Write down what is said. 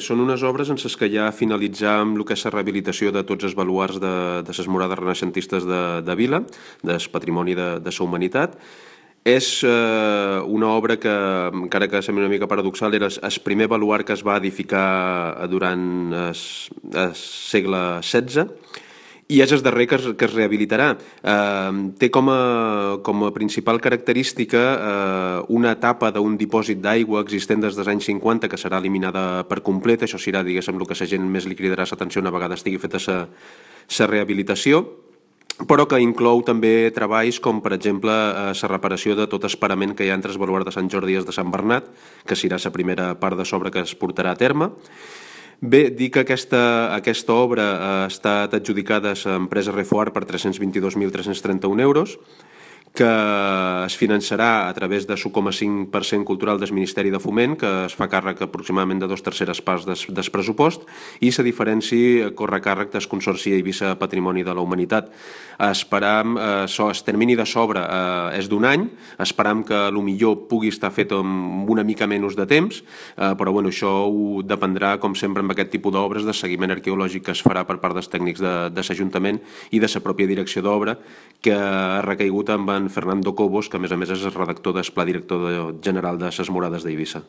Són unes obres en les que ja finalitzam el que és la rehabilitació de tots els baluards de les murades renaixentistes de Vila, del patrimoni de la humanitat. És una obra que, encara que sembla una mica paradoxal, era el primer baluard que es va edificar durant el segle XVI, i és el darrer que es rehabilitarà. Té com a principal característica una etapa d'un dipòsit d'aigua existent des dels anys 50 que serà eliminada per complet. Això serà, diguéssim, el que la gent més li cridarà l'atenció una vegada estigui feta la rehabilitació, però que inclou també treballs com, per exemple, la reparació de tot el parament que hi ha entre el baluard de Sant Jordi i el de Sant Bernat, que serà la primera part de l'obra que es portarà a terme. Bé, dir que aquesta obra ha estat adjudicada a l'empresa Refoar per 322.331 euros, que es finançarà a través de l'1,5% cultural del Ministeri de Foment, que es fa càrrec aproximadament de 2/3 parts del pressupost, i la diferència corre a càrrec del Consorci Eivissa Patrimoni de la Humanitat. Esperam, el termini de s'obra és d'un any, esperam que millor pugui estar fet amb una mica menys de temps, però bueno, això ho dependrà, com sempre amb aquest tipus d'obres, del seguiment arqueològic que es farà per part dels tècnics de l'Ajuntament i de la pròpia direcció d'obra, que ha recaigut amb Fernando Cobos, que a més és el redactor del Pla Director General de les Murades d'Eivissa.